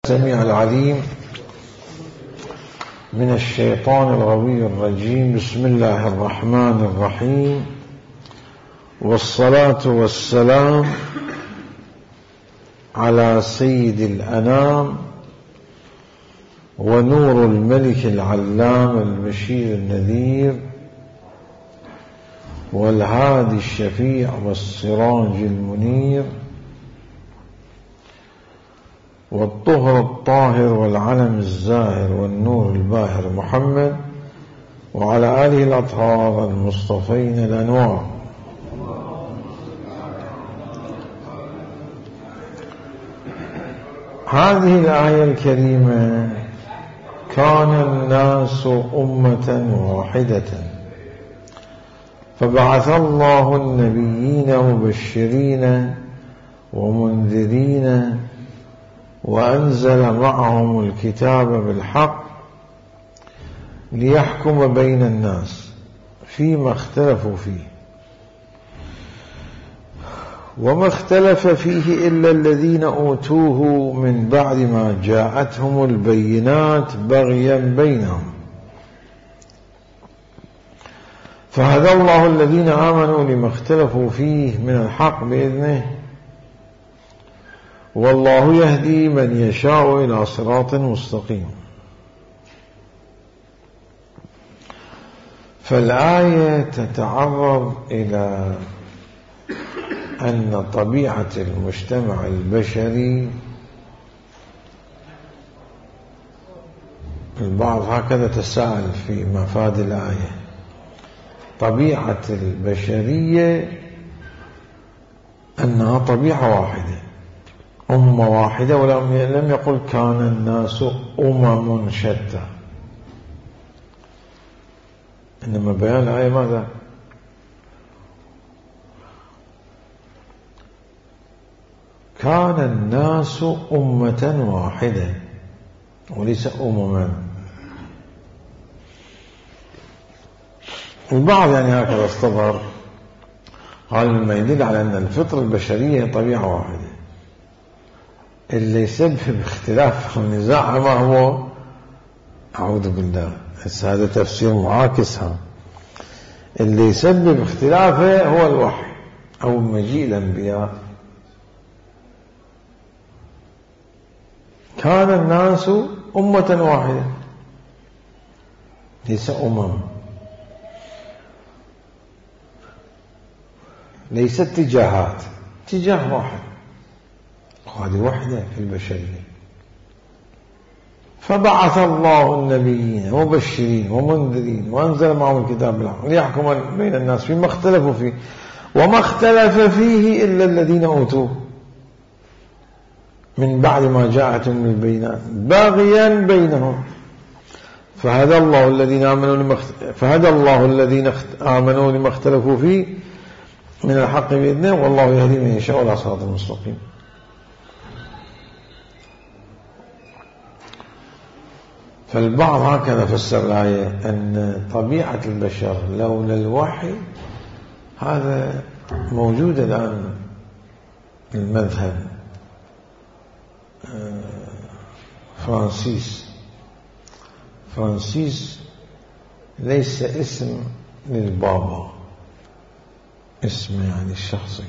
السميع العليم من الشيطان الغوي الرجيم. بسم الله الرحمن الرحيم، والصلاة والسلام على سيد الأنام ونور الملك العلام البشير النذير والهادي الشفيع والسراج المنير والطهر الطاهر والعلم الزاهر والنور الباهر محمد وعلى آله الأطهار المصطفين الأنوار. هذه الآية الكريمة: كان الناس أمة واحدة فبعث الله النبيين مبشرين ومنذرين وأنزل معهم الكتاب بالحق ليحكم بين الناس فيما اختلفوا فيه، وما اختلف فيه إلا الذين أوتوه من بعد ما جاءتهم البينات بغيا بينهم، فهدى الله الذين آمنوا لما اختلفوا فيه من الحق بإذنه، والله يهدي من يشاء إلى صراط مستقيم. فالآية تتعرض إلى أن طبيعة المجتمع البشري، البعض هكذا تساءل في مفاد الآية، طبيعة البشرية أنها طبيعة واحدة، أمة واحدة، ولم يقل كان الناس أمم شتى، إنما بيان الآية ماذا؟ كان الناس أمة واحدة وليس أمما. البعض يعني هكذا استظهر، قال ما يدل على أن الفطرة البشرية طبيعة واحدة، اللي يسبب اختلاف والنزاع ما هو؟ أعوذ بالله، هذا تفسير معاكس. اللي يسبب اختلافه هو الوحي أو مجيء الأنبياء. كان الناس أمة واحدة ليس أمم، ليست اتجاهات، اتجاه واحد، وهذه وحدة في البشرية. فبعث الله النبيين مبشرين ومنذرين وأنزل معهم الكتاب بالحق ليحكم بين الناس فيما اختلفوا فيه، وما اختلف فيه إلا الذين أوتوه من بعد ما جاءتهم البينات بغيا بينهم، فهدى الله الذين آمنوا لما اختلفوا فيه من الحق بإذنه، والله يهدي من يشاء إلى صراط مستقيم. فالبعض هكذا فسر الآية أن طبيعة البشر لولا الوحي، هذا موجود الآن. المذهب فرانسيس ليس اسم للبابا، اسم يعني الشخصي.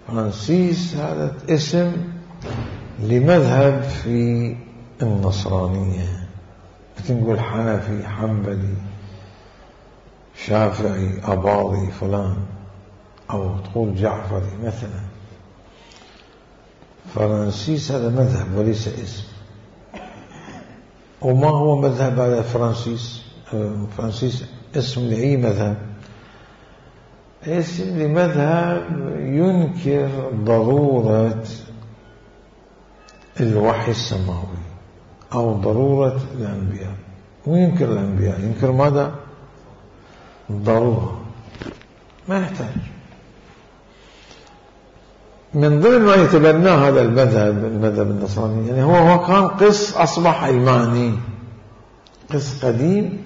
فرانسيس هذا اسم لمذهب في النصرانية، تنقول حنفي، حنبلي، شافعي، أباضي، فلان، أو تقول جعفري مثلا. فرانسيس هذا مذهب وليس اسم. وما هو مذهب هذا فرانسيس؟ فرانسيس اسم لأي مذهب؟ اسم لمذهب ينكر ضرورة الوحي السماوي أو ضرورة الأنبياء. وينكر الأنبياء، ينكر ماذا؟ الضرورة، ما يحتاج. من ضمن ما يتبنى هذا المذهب النصراني، يعني هو كان قس أصبح علماني، قس قديم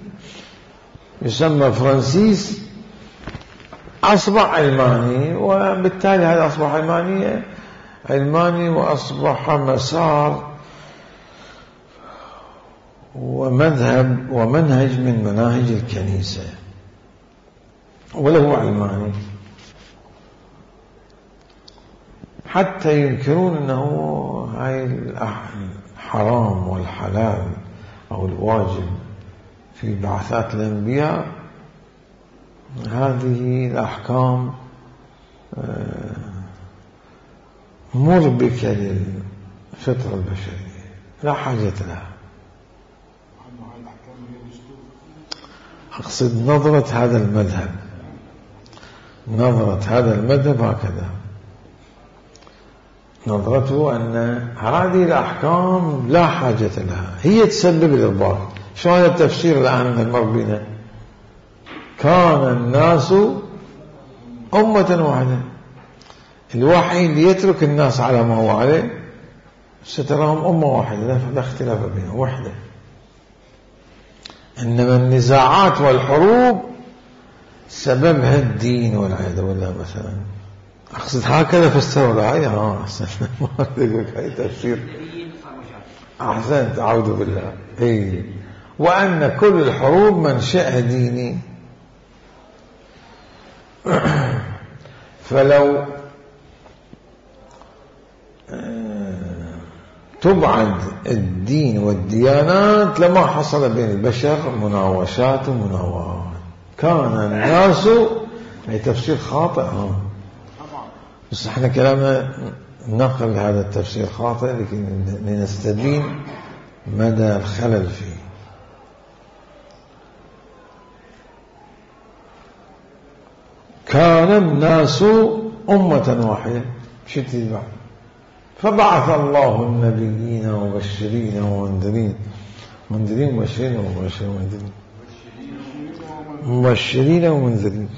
يسمى فرانسيس، أصبح علماني، وبالتالي هذا أصبح علمانية علماني وأصبح مسار ومذهب ومنهج من مناهج الكنيسة، وله علماني، حتى ينكرون أنه هاي الحرام والحلال أو الواجب في بعثات الأنبياء، هذه الأحكام مربكة للفطرة البشرية لا حاجة لها. أقصد نظرة هذا المذهب، نظرة هذا المذهب هكذا، نظرته أن هذه الأحكام لا حاجة لها، هي تسبب الإضرار. شو هذا التفسير الآن المر بنا؟ كان الناس أمة واحدة، الوحي اللي يترك الناس على ما هو عليه ستراهم أمة واحدة لا اختلاف بينهم وحدة. إنما النزاعات والحروب سببها الدين والعياذ بالله مثلا. أقصد هكذا فسروا الآية. أحسن ما أقولك هاي تفسير أحسنت، أعوذ بالله. إيه، وأن كل الحروب منشأها ديني. فلو تبعد الدين والديانات لما حصل بين البشر مناوشات ومناورات. كان الناس، أي تفسير خاطئ بس احنا كلامنا نقل هذا التفسير خاطئ لنستبين مدى الخلل فيه. كان الناس أمة واحدة، شو تتبع؟ فبعث الله النبيين مبشرين ومنذرين، منذرين مبشرين ومنذرين، مبشرين ومنذرين.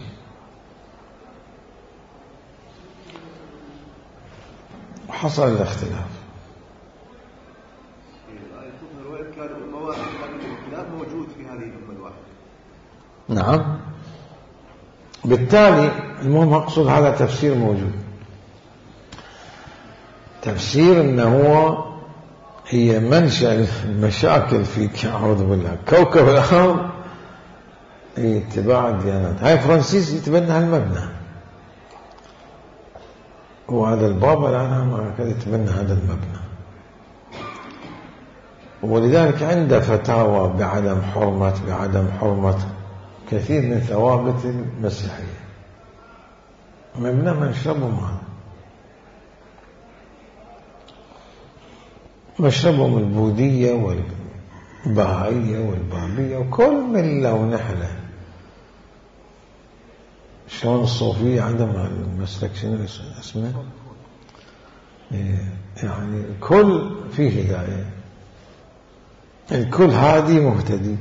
حصل الاختلاف. موجود في هذه الأمة الواحدة. نعم، بالتالي المهم أقصد هذا تفسير موجود، تفسير أنه هي منشأ المشاكل في أعوذ بالله كوكب الأرض هي اتباع الديانات. هاي فرانسيس يتبنى هالمبنى، وهذا البابا الآن يتبنى هذا المبنى، ولذلك عنده فتاوى بعدم حرمة كثير من ثوابت المسيحية. مبنى منشربهم هذا، مشربهم البوذية والبهائية والبابية وكل ملة ونحلة. شلون الصوفية عندهم المسلك شنو اسمه، يعني الكل فيه هداية، الكل هادي مهتدي.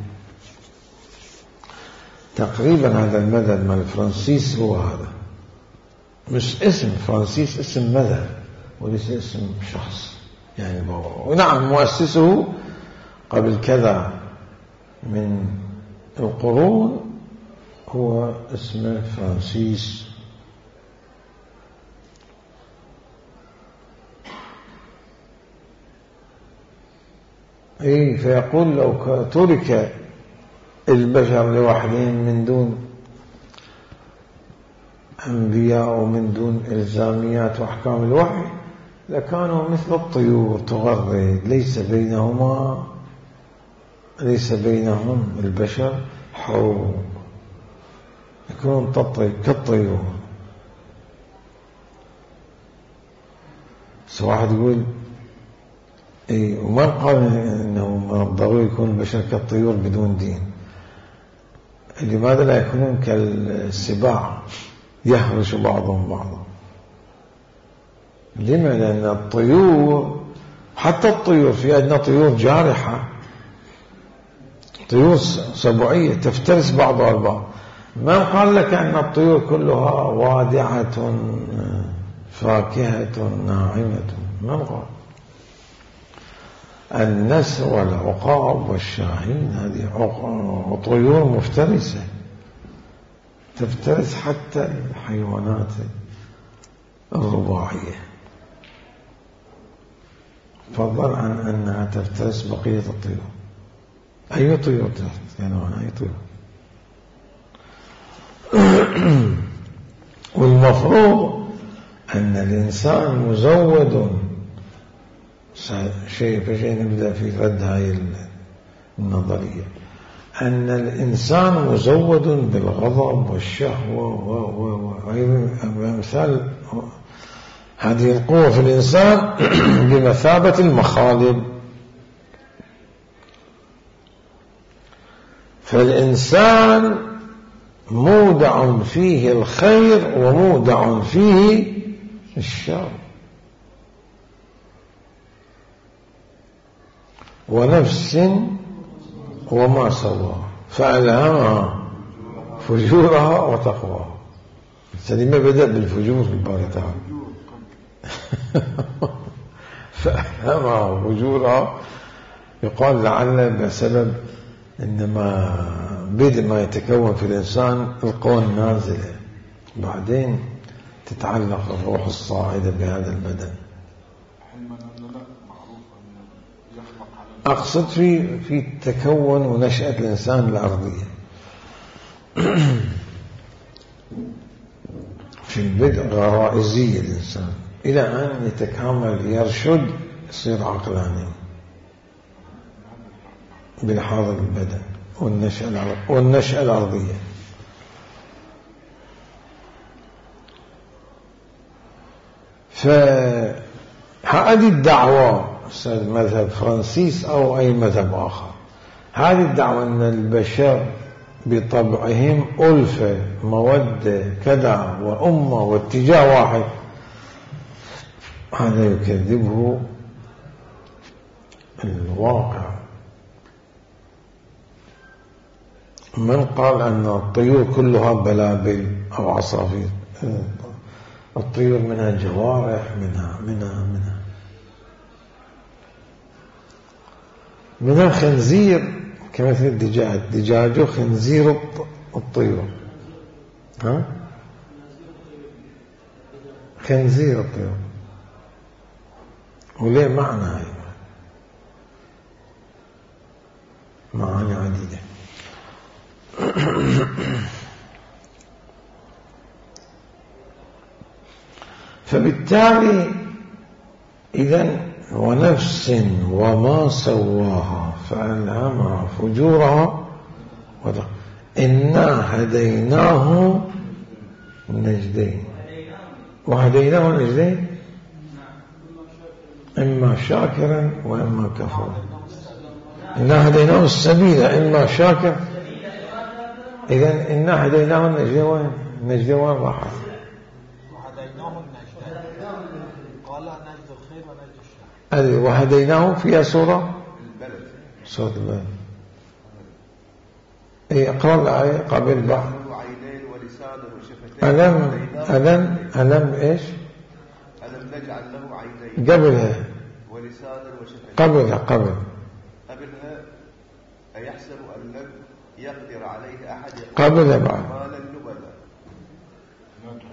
تقريبا هذا المذهب مال فرانسيس هو هذا، مش اسم فرانسيس، اسم مذهب وليس اسم شخص يعني بابا. ونعم مؤسسه قبل كذا من القرون هو اسمه فرانسيس. اي، فيقول لو ترك البشر لوحدهم من دون أنبياء ومن دون إلزاميات وأحكام الوحي لكانوا مثل الطيور تغرد، ليس بينهم البشر حروب، يكونون كالطيور. بس واحد يقول اي، وما قال انه من الضروري يكون البشر كالطيور بدون دين. لماذا لا يكونون كالسباع يهرش بعضهم بعضا؟ لما؟ لأن الطيور، حتى الطيور، في عندنا طيور جارحة، طيور سبوعية تفترس بعضها البعض. ما قال لك أن الطيور كلها وادعة فاكهة ناعمة، ما قال. النسر والعقاب والشاهين هذه طيور مفترسة تفترس حتى الحيوانات الرباعية. فضلا عن أنها تفترس بقية الطيور. أي طيور يعني أي طيور. والمفروض أن الإنسان مزود شيء نبدأ في رد هاي النظرية، أن الإنسان مزود بالغضب والشهوة وأمثال هذه القوة في الإنسان بمثابة المخالب. فالإنسان مودع فيه الخير ومودع فيه الشر. ونفس وما سواها فألهمها فجورها وتقواها. السليمة بدأ بالفجور في الباري تعالى فألهمها فجورها. يقال لعل بسبب إنما بدء ما يتكون في الإنسان القوى النازلة، بعدين تتعلق الروح الصاعدة بهذا البدن. أقصد في تكون ونشأة الإنسان الأرضية. في البدء غرائزي الإنسان إلى أن يتكامل يرشد يصير عقلاني بالحاضر البدن والنشأة الأرضية. فهذه الدعوة مذهب فرانسيس أو أي مذهب آخر، هذه الدعوة أن البشر بطبعهم ألفة مودة كذا وأمة واتجاه واحد، هذا يكذبه الواقع. من قال أن الطيور كلها بلابل أو عصافير؟ الطيور منها جوارح، منها خنزير كمثل الدجاج خنزير الطيور. ها؟ خنزير الطيور وليه معنى هاي معاني عديدة. فبالتالي إذن ونفس وما سواها فألهمها فجورها إنا هديناه النجدين. وهديناه النجدين إما شاكرا وإما كفورا. إنا هديناه السبيل إما شاكر. إذن إنا هديناه النجدين وين؟ النجدين وين راحت؟ وهديناه فيها سورة البلد. أي أقرأ الآية قبل بعض. ألم إيش؟ ألم نجعل له عينين قبلها ولسانا وشفتين. قبلها أيحسب أن لم يقدر عليه أحد قبلها بعد مالا لبدا.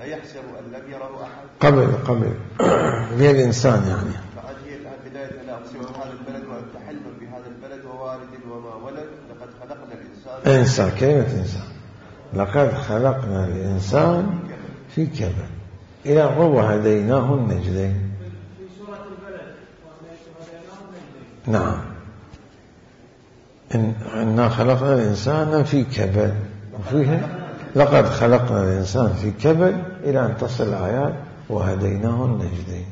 أيحسب أن لم يره أحد قبل هي الإنسان يعني. بداية أن أقسم هذا البلد وأنت حلم بهذا البلد ووالد وما ولد لقد خلقنا الإنسان. كلمة إنسان لقد خلقنا الإنسان في كبد إلى هو هديناه النجدين. في سورة البلد نعم إنا خلقنا الإنسان في كبد وفيها لقد خلقنا الإنسان في كبد إلى أن تصل الآيات وهديناه النجدين.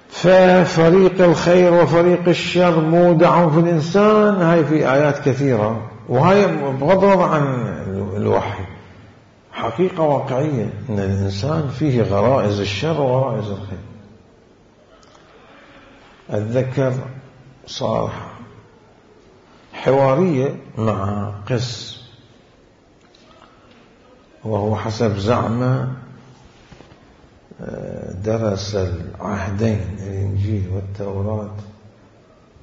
ففريق الخير وفريق الشر مودع في الإنسان. هاي في آيات كثيرة، وهي بغض النظر عن الوحي حقيقة واقعية أن الإنسان فيه غرائز الشر وغرائز الخير. أتذكر صار حوارية مع قس، وهو حسب زعمه درس العهدين الإنجيل والتوراة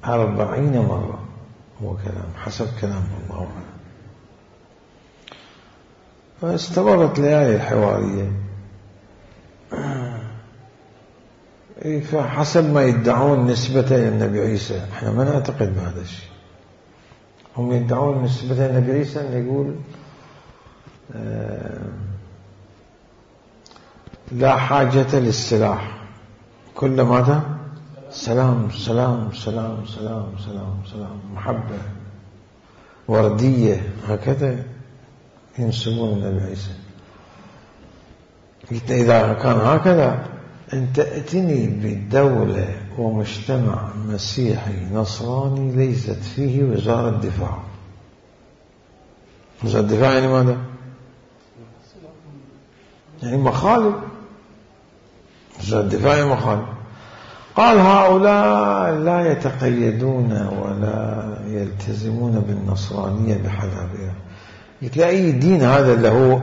40 مرة، هو كلام حسب كلام الله أعلم. فاستمرت ليالي الحوارية فحسب ما يدعون نسبة للنبي عيسى، احنا ما نعتقد بهذا الشيء. هم يدعون نسبة للنبي عيسى أن يقول لا حاجة للسلاح، كل ماذا؟ سلام سلام سلام سلام سلام سلام، محبة وردية، هكذا ينسبون النبي عيسى. قلت إذا كان هكذا أنت ائتني بدولة ومجتمع مسيحي نصراني ليست فيه وزارة دفاع. وزارة الدفاع يعني ماذا؟ يعني مخالب. وزارة الدفاع يعني مخالب. قال هؤلاء لا يتقيدون ولا يلتزمون بالنصرانية بحذافيرها. قلت له أي دين هذا اللي هو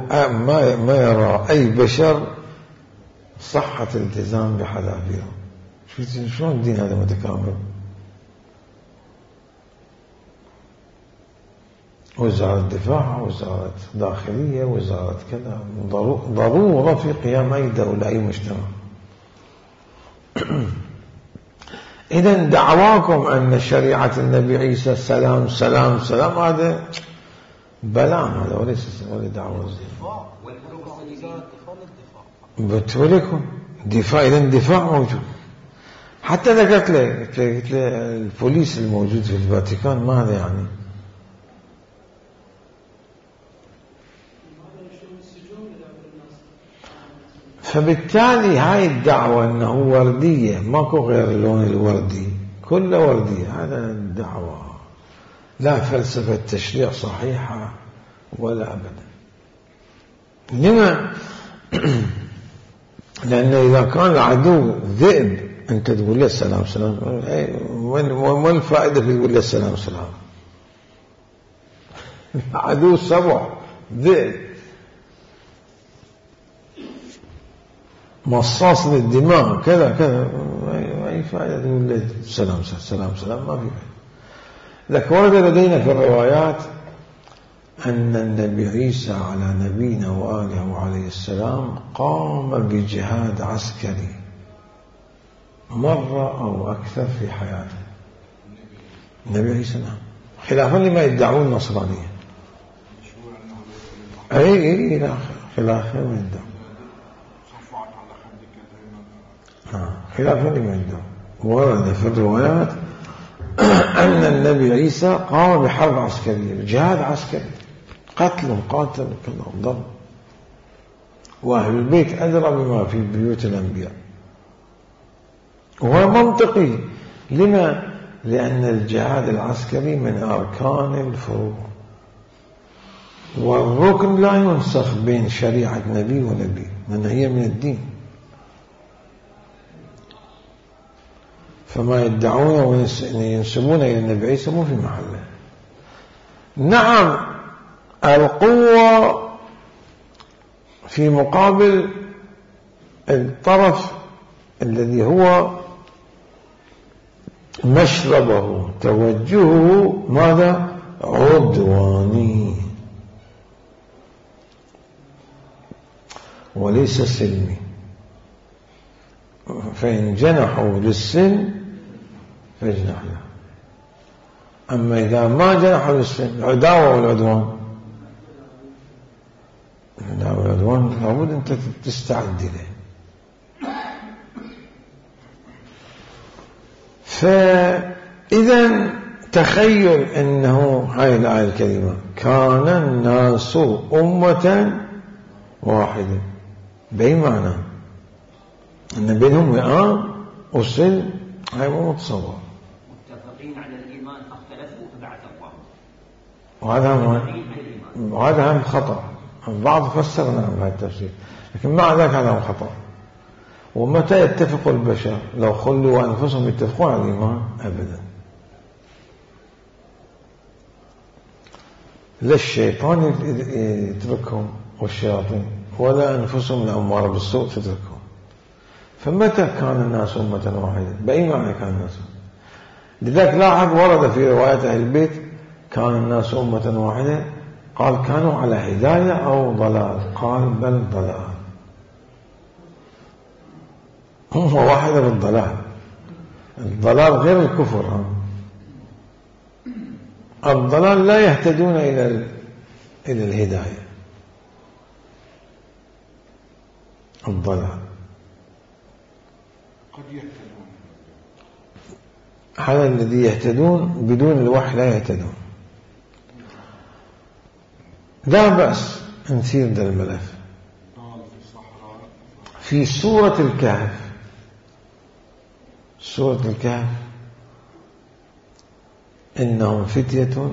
ما يرى أي بشر صحة الالتزام بحذافيره؟ شلون الدين هذا متكامل؟ وزارة الدفاع، وزارة داخلية، وزارة كذا، ضرورة في قيام أي دولة أي مجتمع. إذن دعواكم أن شريعة النبي عيسى سلام سلام سلام هذا بلام، هذا وليس دعوة الدفاع. بتقولكم دفاع، إذن دفاع موجود. حتى إذا قلت له البوليس الموجود في الفاتيكان ماذا يعني؟ فبالتالي هاي الدعوة أنه وردية، ماكو غير اللون الوردي، كله وردية، هذا الدعوة لا فلسفة تشريع صحيحة ولا أبدا. لما؟ لأن إذا كان العدو ذئب أنت تقول له السلام سلام، وين الفائدة في تقول له السلام سلام؟ عدو سبع ذئب مصاص للدماء كذا كذا، أي فائدة تقول له سلام سلام سلام؟ ما في فائدة. لكن ورد لدينا في الروايات أن النبي عيسى على نبينا وآله عليه السلام قام بجهاد عسكري مرة أو أكثر في حياته. النبي عيسى نعم، خلافا لما يدعون النصرانية. أي لا، خلافا لما يدعون، خلافا لما يدعون. ورد في الروايات أن النبي عيسى قام بحرب عسكرية، جهاد عسكري، قتل قاتل كذا ضرب، وأهل البيت أدرى بما في بيوت الأنبياء. وهو منطقي. لما؟ لأن الجهاد العسكري من أركان الفروض، والركن لا ينسخ بين شريعة نبي ونبي، لأن هي من الدين. فما يدعونه وينسبونه إلى النبي عيسى مو في محله. نعم، القوة في مقابل الطرف الذي هو مشربه توجهه ماذا؟ عدواني وليس سلمي. فإن جنحوا للسلم فاجنح له. أما إذا ما جنحوا للسلم، العداوة والعدوان، العداوة والعدوان لابد أنت تستعد له. فإذا تخيل أنه هاي الآية الكريمة كان الناس أمة واحدة، بأي معنى؟ أن بينهم وئام وسلم، هاي مو متصور. متفقين على الإيمان فاختلفوا فبعث الله، وهذا هم خطأ. البعض فسر نعم بهذا التفسير، لكن مع ذلك هذا هو خطأ. ومتى يتفق البشر؟ لو خلوا أنفسهم يتفقون على الإيمان؟ أبدا. لا الشيطان يتركهم والشياطين، ولا أنفسهم الأمارة بالسوء تتركهم. فمتى كان الناس أمة واحدة؟ بأي معنى كان الناس؟ لذلك لاحظ ورد في رواية أهل البيت كان الناس أمة واحدة، قال كانوا على هداية أو ضلال؟ قال بل ضلال. هم واحدة بالضلال. الضلال غير الكفر. الضلال لا يهتدون إلى الهداية. الضلال قد يهتدون، هذا الذي يهتدون بدون الوحي لا يهتدون. لا بأس نسير ذا الملف في سورة الكهف. سورة الكهف إنهم فتية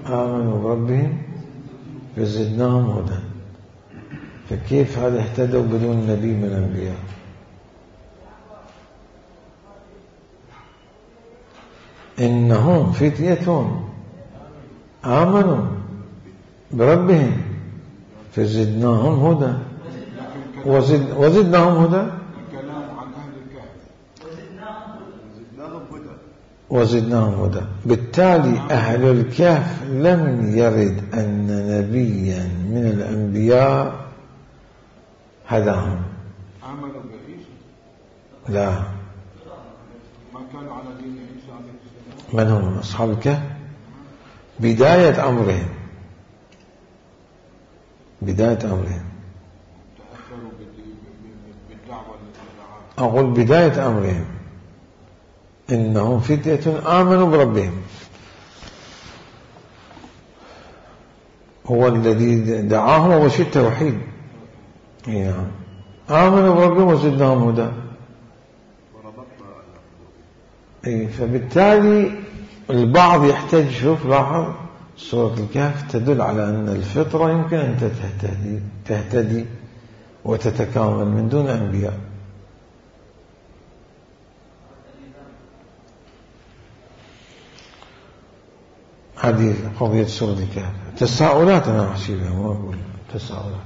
آمنوا بربهم فزدناهم هدى. فكيف هذا اهتدوا بدون نبي من الأنبياء؟ إنهم فتية آمنوا بربهم فزدناهم هدى. وزدناهم هدى. الكلام عن أهل الكهف وزدناهم هدى. بالتالي أهل الكهف لم يرد أن نبيا من الأنبياء هداهم. آمنوا بعيسى؟ لا. ما كانوا على دين عيسى عليه السلام. من هم أصحاب الكهف؟ بداية أمرهم تأثروا بالدعوة التي دعاها. أقول بداية أمرهم إنهم فتية آمنوا بربهم، هو الذي دعاهم وبشر التوحيد. نعم آمنوا بربهم وزدناهم هدى. فبالتالي البعض يحتاج، شوف لاحظ سورة الكهف تدل على أن الفطرة يمكن أن تهتدي وتتكامل من دون أنبياء. هذه قضية سورة الكهف. تساؤلات أنا أحسبها، ما أقول تساؤلات.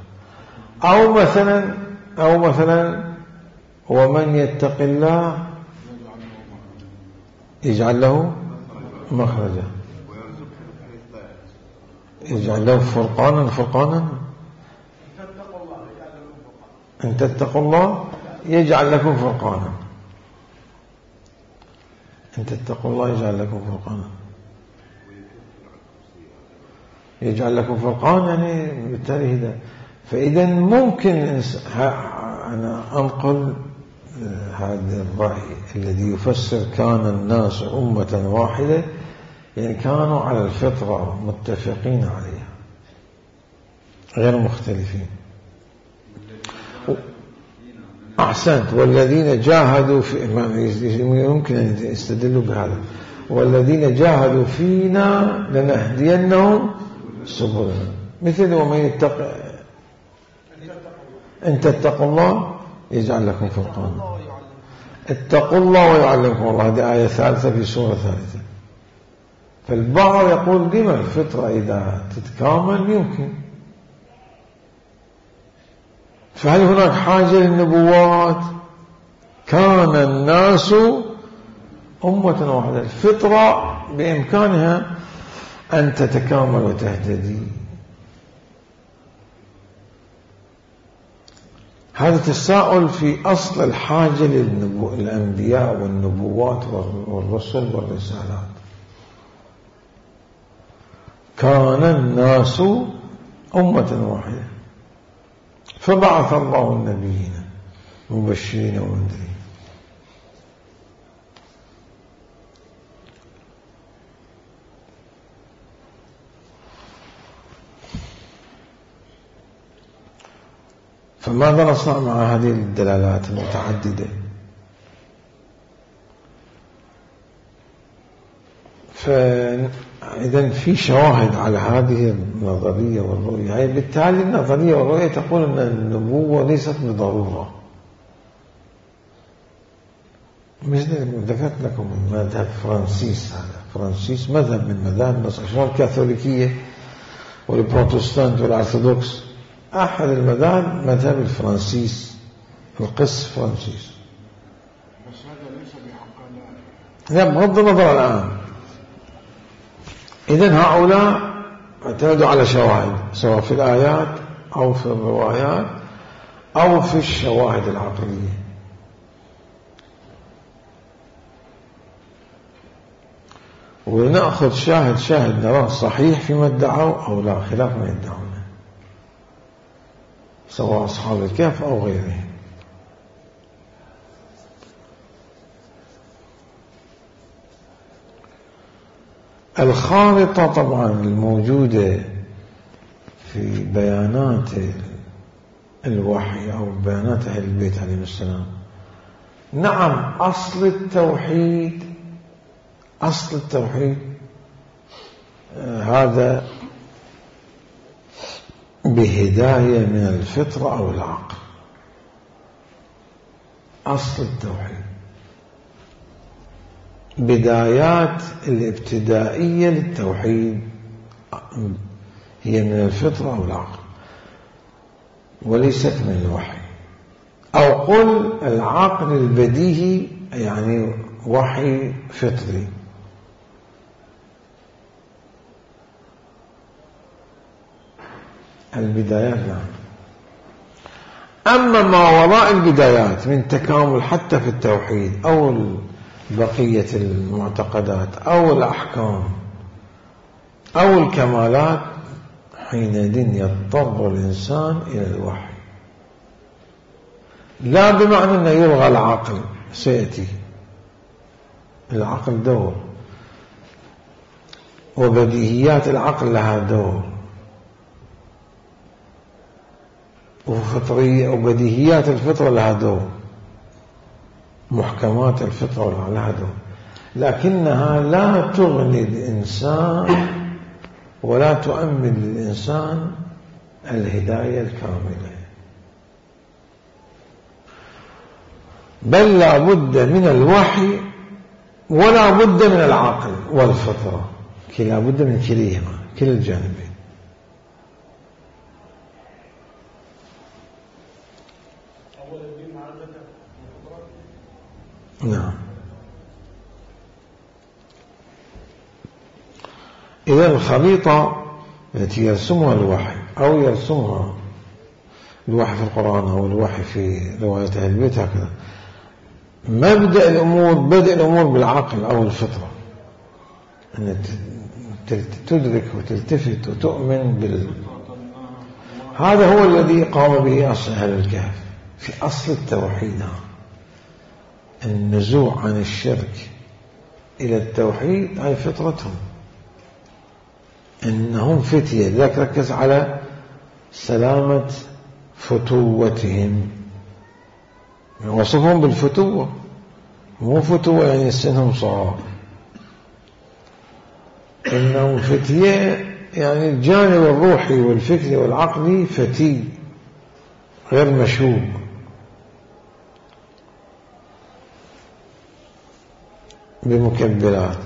أو مثلا ومن يتق الله يجعل له مخرجا، يجعل له فرقانا. إن تتقوا الله يجعل لكم فرقانا. إن تتقوا الله يجعل لكم فرقانا. يجعل لكم فرقان يعني بالتالي هداية. فإذا ممكن أنا أنقل هذا الرأي الذي يفسر كان الناس أمة واحدة، يعني كانوا على الفطرة متفقين عليها غير مختلفين. أحسنت. والذين جاهدوا يمكن أن يستدلوا بهذا، والذين جاهدوا فينا لنهدينهم سبلنا. مثل ومن يتق إن تتقوا الله يجعل لكم فرقانا. اتقوا الله ويعلمكم الله، هذه آية ثالثة في سورة ثالثة. فالبعض يقول لما الفطرة إذا تتكامل يمكن. فهل هناك حاجة للنبوات؟ كان الناس أمة واحدة، الفطرة بإمكانها أن تتكامل وتهتدي. هذا تساؤل في أصل الحاجة للأنبياء والنبوات والرسل والرسالات. كان الناس أمة واحدة فبعث الله النبيين مبشرين ومنذرين. فماذا نصنع مع هذه الدلالات المتعددة؟ فإذا في شواهد على هذه النظرية والرؤية، يعني بالتالي النظرية والرؤية تقول أن النبوة ليست بضرورة. مثل ذكرت لكم مذهب فرانسيس، هذا فرانسيس مذهب من مذاهب النصارى الكاثوليكية والبروتستانت والأرثوذكس. أحد المذاهب مذهب الفرانسيس، القس فرانسيس. بس هذا ليس بحق لا، بغض النظر الآن. إذن هؤلاء اعتمدوا على شواهد، سواء في الآيات أو في الروايات أو في الشواهد العقلية. ونأخذ شاهد نراه صحيح فيما ادعوا أو لا، خلاف ما يدعونه، سواء أصحاب الكهف أو غيرهم. الخارطة طبعا الموجودة في بيانات الوحي أو بيانات أهل البيت عليهم السلام، نعم أصل التوحيد هذا بهداية من الفطرة أو العقل. أصل التوحيد بدايات الابتدائية للتوحيد هي من الفطرة أو العقل وليست من الوحي، أو قل العقل البديهي يعني وحي فطري. البدايات نعم. أما ما وراء البدايات من تكامل حتى في التوحيد أو بقية المعتقدات أو الأحكام أو الكمالات، حينئذ يضطر الإنسان إلى الوحي، لا بمعنى أنه يلغى العقل، سيأتي العقل دور وبديهيات العقل لها دور وفطرية وبديهيات الفطرة لها دور، محكمات الفطرة لها دور، لكنها لا تغني الإنسان ولا تؤمن للإنسان الهداية الكاملة، بل لا بد من الوحي ولا بد من العقل والفطرة، لا بد من كليهما، كلا الجانبين. نعم. إذا الخريطة التي يرسمها الوحي أو يرسمها الوحي في القرآن أو الوحي في رواية أهل البيت هكذا، مبدأ الأمور بدء الأمور بالعقل أو الفطرة، أن تدرك وتلتفت وتؤمن هذا هو الذي قام به أصل أهل الكهف في أصل التوحيد، النزوع عن الشرك إلى التوحيد هاي فطرتهم، إنهم فتية، لذلك ركز على سلامة فتوتهم، وصفهم بالفتوة، مو فتوة يعني سنهم صغار، إنهم فتية يعني الجانب الروحي والفكري والعقلي فتي غير مشوب. بمكبلات،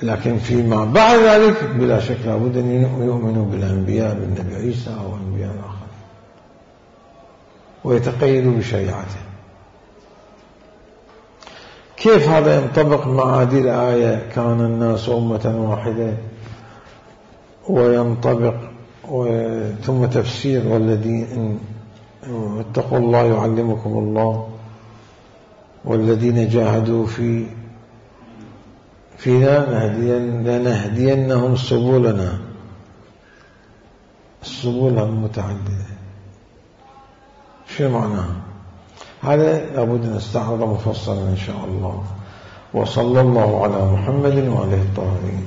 لكن فيما بعد ذلك بلا شك لابد أن يؤمنوا بالأنبياء، بالنبي عيسى أو أنبياء آخر، ويتقيدوا بشريعته. كيف هذا ينطبق مع هذه الآية كان الناس أمة واحدة، وينطبق ثم تفسير والذين اتقوا الله يعلمكم الله والذين جاهدوا فينا لنهدينهم سبلنا، السبل المتعددة، شو معناها؟ هذا لابد أن نستعرض مفصلا إن شاء الله. وصلى الله على محمد وعلى آله الطاهرين.